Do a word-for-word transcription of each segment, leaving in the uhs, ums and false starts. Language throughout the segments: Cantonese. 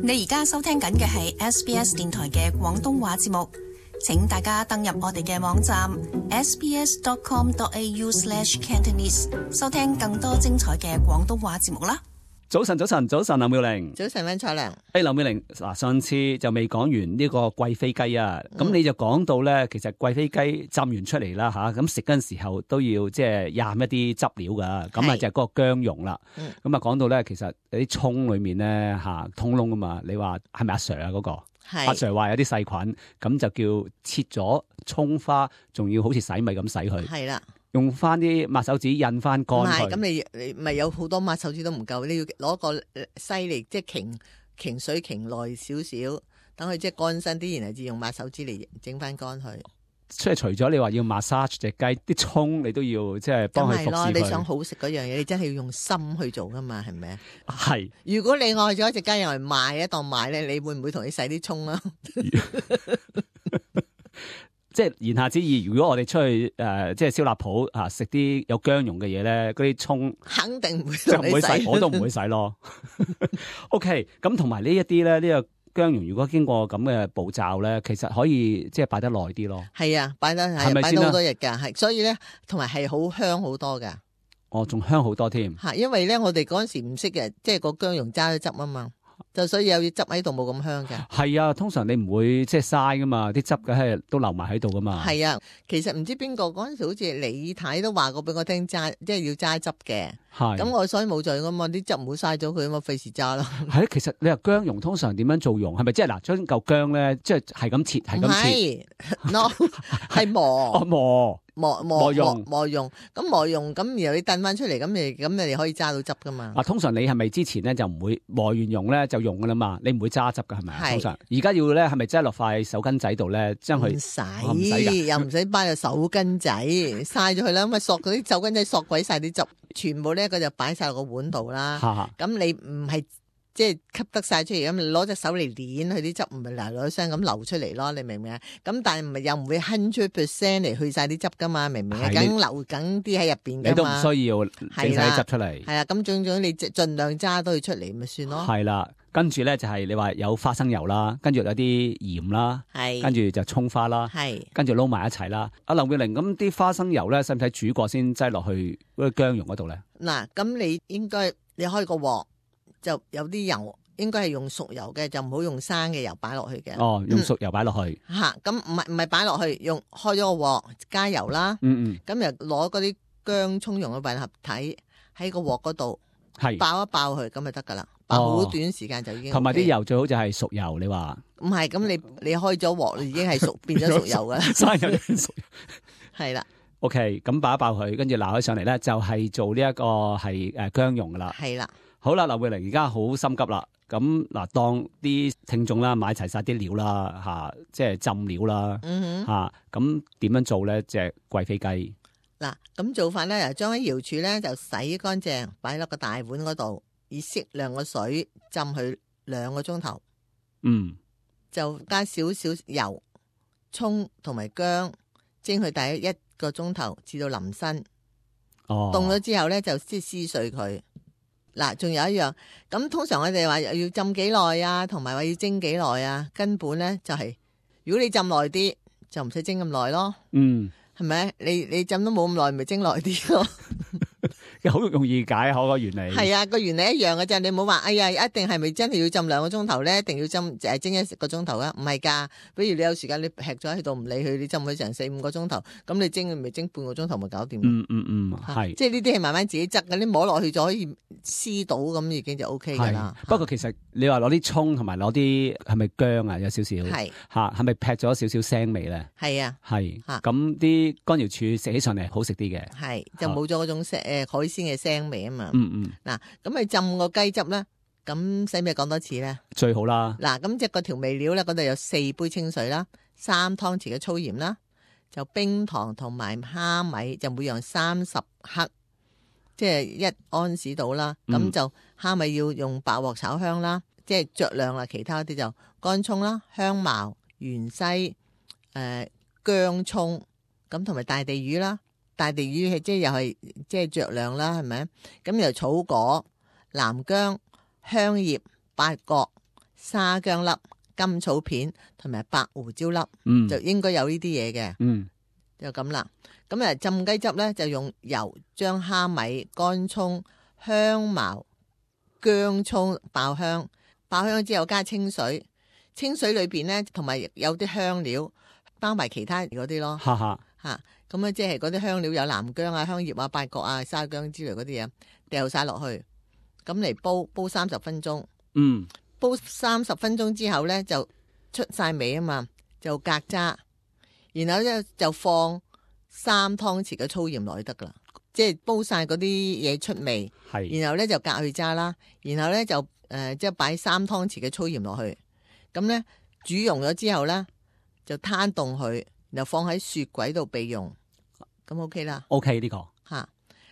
你而家收聽緊嘅係 S B S 電台嘅廣東話節目，請大家登入我哋嘅網站 s b s dot com dot a u slash cantonese 收聽更多精彩嘅廣東話節目啦。早晨，早晨，早晨，劉妙玲。早晨，溫彩良。誒，劉妙玲，嗱，上次就未講完呢個貴妃雞啊，咁、嗯、你就講到咧，其實貴妃雞浸完出嚟啦吓，咁食嗰陣時候都要即係蘸一啲汁料噶，咁啊就係嗰個薑蓉啦。咁啊講到咧，其實有啲蔥裏面咧吓通窿啊嘛，你話係咪阿 Sir 啊嗰、那個？阿 Sir 話有啲細菌，咁就叫切咗蔥花，仲要好似洗米咁洗佢。係啦。用翻啲抹手指印翻乾佢。唔係，咁你你咪有好多抹手指都唔夠，你要攞個犀利，即係擎擎水擎耐少少，等佢即係乾身啲，然後至用抹手指嚟整翻乾佢。即係除咗你話要 massage 隻雞，啲蔥你都要即係幫佢服侍佢。咁係咯，你想好食嗰樣嘢，你真係要用心去做噶嘛，係咪啊？係。如果你愛咗一隻雞，用嚟賣一檔賣咧，你會唔會同你洗啲蔥啊？即係言下之意，如果我哋出去誒、呃，即係燒臘鋪啊，食啲有薑蓉嘅嘢咧，嗰啲蔥肯定唔會就唔會洗，我都唔會洗咯。OK，咁同埋呢一啲咧，呢、這個薑蓉如果經過咁嘅步驟咧，其實可以即係擺得耐啲咯。係啊，擺得係擺到好多日噶，係所以咧，同埋係好香好多噶。哦，仲香好多添。吓，因為咧我哋嗰陣時唔識嘅，即係個薑蓉揸咗汁啊嘛。就所以有啲汁喺度冇咁香嘅。係啊，通常你唔會即係嘥噶嘛，啲汁嘅係都留埋喺度噶嘛。係啊，其實唔知邊個嗰陣時好似李太都話過俾我聽揸，即係要揸汁嘅。係。咁我所以冇做噶嘛，啲汁唔好嘥咗佢啊嘛，費事揸咯。係啊，其實你話薑蓉通常點樣做蓉？係咪即係嗱，將嚿薑咧，即係係咁切，係咁切。唔係，no，係磨。哦，磨。磨磨磨磨蓉，咁磨蓉咁，然後你燉翻出嚟，咁你咁你哋可以揸到汁噶嘛？啊，通常你係咪之前咧就唔會磨完蓉咧就用噶啦嘛？你唔會揸汁噶係咪啊？通常而家要咧係咪擠落塊手巾仔度咧，將佢唔使，又唔使擺入手巾仔，嘥咗佢啦。咁啊索嗰啲手巾仔索鬼晒啲汁，全部咧佢就擺晒落個碗度啦。咁你唔係。即係吸得晒出嚟，咁攞隻手嚟捻佢啲汁，唔係嗱嗱聲咁流出嚟咯，你明唔明啊？咁但係唔係又唔會 hundred percent 嚟去晒啲汁噶嘛，明唔明啊？梗流緊啲喺入邊噶嘛，你都唔需要整晒啲汁出嚟。係啊，咁總總你盡量揸到佢出嚟咪算咯。係啦，跟住咧就係你話有花生油啦，跟住有啲鹽啦，係，跟住就蔥花啦，係，跟住撈埋一齊啦。阿劉妙玲，咁啲花生油咧使唔使煮過先擠落去嗰個薑蓉嗰度咧？嗱，咁你應該你開個鑊。就有啲油，應該係用熟油嘅，就唔好用生嘅油擺落去嘅。哦，用熟油擺落去。吓、嗯，咁唔係唔係擺落去，用開咗個鑊，加油啦。嗯嗯。咁又攞嗰啲薑蔥蓉嘅混合體喺個鑊嗰度，係爆一爆佢，咁就得噶啦。爆好短時間就已經、OK。同埋啲油最好就係熟油，你話？唔係，咁你你開咗鑊，已經係熟變咗熟油噶啦。生油變熟油。係啦。OK，咁爆一爆佢，跟住撈起上嚟咧，就係做呢一個係誒薑蓉噶啦。係啦。好啦，劉妙玲而家好心急啦，咁嗱，當啲聽眾啦買齊晒啲料啦，吓，即係浸料啦，嗯哼，吓，咁點樣做咧？隻貴妃雞嗱，咁做法咧，將喺瑤柱咧就洗乾淨，擺落個大碗嗰度，以適量嘅水浸佢兩個鐘頭，嗯，就加少少油、蔥同埋薑，蒸佢大約一個鐘頭至到腍身，哦，凍咗之後咧就即係撕碎佢。嗱，仲有一樣，咁通常我哋話要浸幾耐啊，同埋話要蒸幾耐啊，根本咧就係、是，如果你浸耐啲，就唔使蒸咁耐咯。嗯，係咪？你你浸都冇咁耐，咪蒸耐啲咯。好容易解開個原理。係啊，個原理一樣嘅啫。你唔好話，哎呀，一定係咪真係要浸兩個鐘頭咧？一定要浸誒蒸一個鐘頭啊？唔係噶，比如你有時間你劈咗喺度唔理佢，你浸佢成四五個鐘頭，咁你蒸咪蒸半個鐘頭咪搞掂。嗯嗯嗯，係。即係呢啲係慢慢自己執嘅，你摸落去就可以撕到，咁已經就 O K 噶啦。不過其實你話攞啲蔥同埋攞啲係咪薑啊？有少少係吓，係咪劈咗少少腥味咧？係啊，係。咁啲乾瑤柱食起上嚟好食啲嘅。係，就冇咗嗰種誒海鮮嘅腥味啊嘛。嗯嗯。嗱，咁你浸個雞汁咧，咁使唔使講多次咧？最好啦。嗱，咁即係個調味料咧，嗰度有四杯清水啦，三湯匙嘅粗鹽啦，就冰糖同埋蝦米，就每樣三十克，即係一安士到啦。咁、嗯、就蝦米要用白鑊炒香啦，即係酌量啦。其他啲就乾葱啦、香茅、芫茜、誒薑葱，咁同埋大地魚啦。大地魚係即係又係即係酌量啦，係咪？咁又草果、南薑、香葉、八角、沙薑粒、甘草片同埋白胡椒粒，嗯，就應該有呢啲嘢嘅。嗯，就咁啦。咁啊浸雞汁咧就用油將蝦米、乾葱、香茅、薑葱爆香，爆香之後加清水，清水裏邊咧同埋有啲香料，包埋其他嗰啲咯。哈哈，吓咁啊，即係嗰啲香料有南薑啊、香葉啊、八角啊、沙薑之類嗰啲嘢，掉晒落去，咁嚟煲煲三十分鐘。嗯，煲三十分鐘之後咧就出晒味啊嘛，就隔渣，然後咧就放三湯匙嘅粗鹽落去得噶啦，即係煲晒嗰啲嘢出味。係，然後咧就隔去渣啦，然後咧就誒即係擺三湯匙嘅粗鹽落去，咁咧煮溶咗之後咧就攤凍佢，然後放喺雪櫃度備用，咁 OK 啦。OK 呢個吓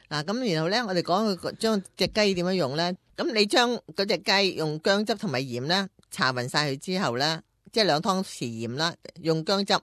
嗱，咁然後咧我哋講佢將隻雞點樣用咧，咁你將嗰隻雞用薑汁同埋鹽咧搽勻晒佢之後咧，即係兩湯匙鹽啦，用薑汁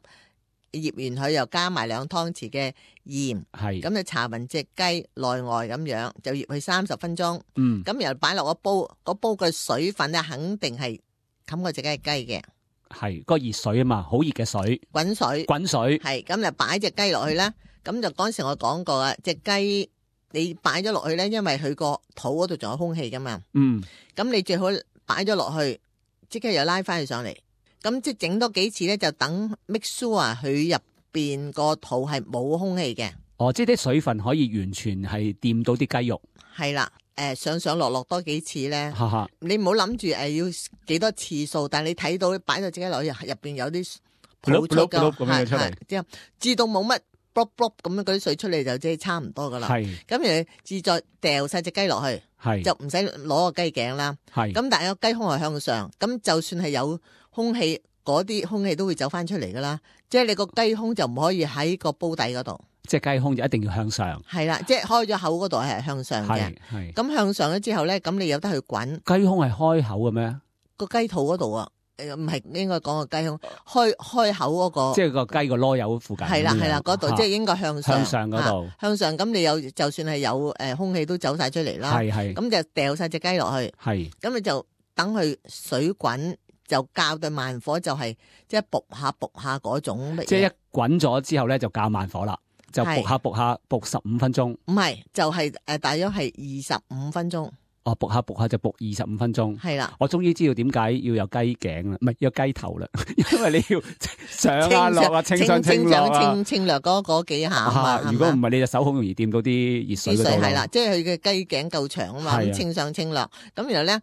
醃完佢又加埋兩湯匙嘅鹽，係，咁就搽勻隻雞內外咁樣，就醃佢三十分鐘。嗯，咁然後擺落個煲，個煲嘅水分咧肯定係冚過隻雞嘅，係個熱水啊嘛，好熱嘅水，滾水，滾水，係咁就擺隻雞落去啦。咁就嗰時我講過啊，隻雞你擺咗落去咧，因為佢個肚嗰度仲有空氣噶嘛。嗯，咁你最好擺咗落去，即刻又拉翻佢上嚟。咁即係整多幾次咧，就等 make sure 佢入邊個肚係冇空氣嘅。哦，即係啲水分可以完全係掂到啲雞肉。係啦，誒、呃、上上落落多幾次咧，哈哈，你唔好諗住誒要幾多次數，但係你睇到擺到自己落去入邊有啲泡出㗎，咁樣出嚟，之後至到冇乜 block block 咁樣嗰啲水出嚟就即係差唔多噶啦。係，咁然後自再掉晒隻雞落去，係就唔使攞個雞頸啦。係，咁但係個雞胸係向上，咁就算係有空氣，嗰啲空氣都會走翻出嚟噶啦。即係你個雞胸就唔可以喺個煲底嗰度，即係雞胸就一定要向上。係啦，即係開咗口嗰度係向上嘅。係係。咁向上咗之後咧，咁你有得去滾。雞胸係開口嘅咩？個雞肚嗰度啊，誒唔係應該講個雞胸開開口嗰個，即係個雞個囉柚附近。係啦係啦，嗰度即係應該向上。向上嗰度。向上咁你有就算係有誒空氣都走晒出嚟啦。係係。咁就掉晒隻雞落去。係。咁你就等佢水滾，就較對慢火，就係即係卜下卜下嗰種。即係一滾咗之後咧，就較慢火啦，就卜下卜下卜十五分鐘。唔係，就係誒大約係二十五分鐘。哦，卜下卜下就卜二十五分鐘。係啦，我終於知道點解要有雞頸啦，唔係有雞頭啦，因為你要上啊落啊，清上清落啊，清清略嗰嗰幾下啊。如果唔係，你隻手好容易掂到啲熱水嗰度。係啦，即係佢嘅雞頸夠長啊嘛，咁清上清落。咁然後咧，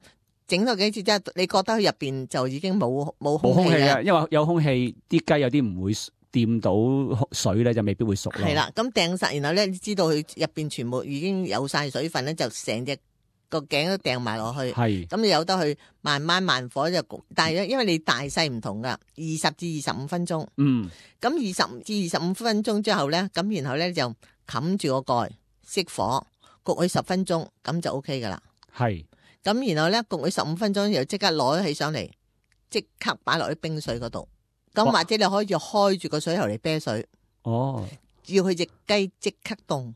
整咗幾次之後，你覺得佢入邊就已經冇冇空氣啊？因為有空氣，啲雞有啲唔會掂到水咧，就未必會熟咯。係啦，咁掟晒，然後咧，你知道佢入邊全部已經有晒水分咧，就成隻個頸都掟埋落去。係，咁你有得去慢慢慢火就焗，但係因為你大細唔同噶，二十至二十五分鐘。嗯，咁二十至二十五分鐘之後咧，咁然後咧就冚住個蓋，熄火焗佢十分鐘，咁就 O K 噶啦。係，咁然後咧焗佢十五分鐘，又即刻攞起上嚟，即刻擺落去冰水嗰度。咁或者你可以開住個水喉嚟啤水。哦，要佢隻雞即刻凍。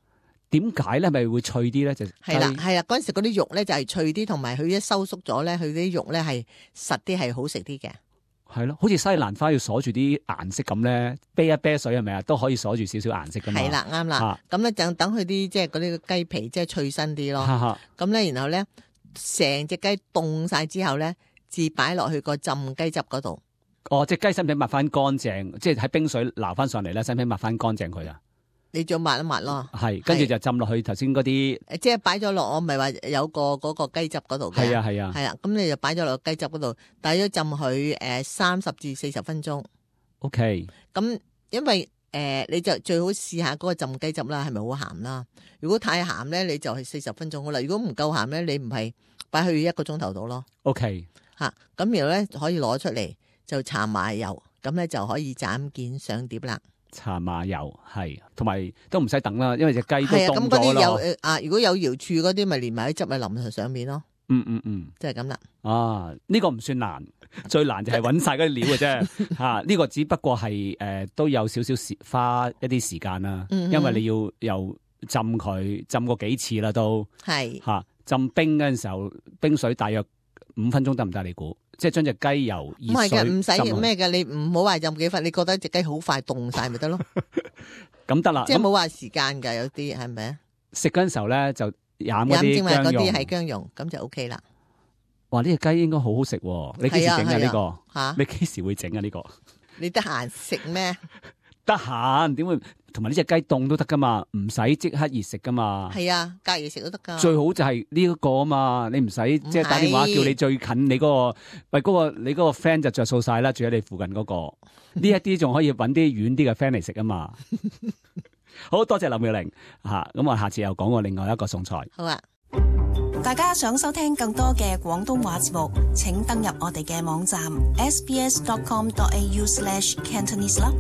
點解咧？咪會脆啲咧？就係啦，係啦，嗰陣時嗰啲肉咧就係脆啲，同埋佢一收縮咗咧，佢啲肉咧係實啲，係好食啲嘅。係咯，好似西蘭花要鎖住啲顏色咁咧，啤一啤水係咪啊？都可以鎖住少少顏色噶嘛。係啦，啱啦。咁咧就等佢啲即係嗰啲雞皮即係脆身啲咯。咁咧然後咧，成隻雞凍晒之後咧，至擺落去個浸雞汁嗰度。哦，隻雞使唔使抹翻乾淨？即係喺冰水撈翻上嚟咧，使唔使抹翻乾淨佢啊？你再抹一抹咯，係，跟住就浸落去頭先嗰啲，即係擺咗落，我唔係話有個嗰個雞汁嗰度嘅，係啊係啊，係啊，咁你就擺咗落雞汁嗰度，大約浸佢誒三十至四十分鐘。O K，咁因為誒、呃、你就最好試下嗰個浸雞汁啦，係咪好鹹啦？如果太鹹咧，你就係四十分鐘好啦。如果唔夠鹹咧，你唔係擺去一個鐘頭度咯。O K，吓，咁然後咧可以攞出嚟就搽麻油，咁咧就可以斬件上碟啦。搽麻油係，同埋都唔使等啦，因為隻雞都凍咗咯。係啊，咁嗰啲有啊，如果有瑤柱嗰啲，咪連埋啲汁咪淋上上面咯。嗯嗯嗯，即係咁啦。啊，呢、這個唔算難，最難就係搵晒嗰啲料嘅啫。吓、啊，呢、這個只不過係誒、呃、都有少少時花一啲時間啦，嗯、因為你要又浸佢浸過幾次啦都。係吓、啊、浸冰嗰陣時候，冰水大約五分鐘得唔得？你估？即係將隻雞由熱水唔係嘅，唔使浸咩嘅，你唔好話浸幾分，你覺得隻雞好快凍晒咪得咯？咁得啦，即係冇話時間㗎，有啲係咪啊？食嗰陣時候咧就飲嗰飲正話嗰啲薑蓉啲係薑蓉，咁就 O K 啦。哇！呢隻雞應該好好食喎，你幾時整啊？呢個嚇？你幾時會整啊？呢個你得閒食咩？得閒點會？同埋呢隻雞凍都得噶嘛，唔使即刻熱食噶嘛。係啊，隔夜食都得噶。最好就係呢一個啊嘛，你唔使即係打電話叫你最近你嗰個，喂嗰個你嗰個 friend 就着數晒啦，住喺你附近嗰個。呢一啲仲可以揾啲遠啲嘅 friend 嚟食啊嘛。好多謝林妙玲嚇，咁我下次又講過另外一個餸菜。好啊。大家想收聽更多嘅廣東話節目，請登入我哋嘅網站 s b s dot com dot a u slash cantonese 啦。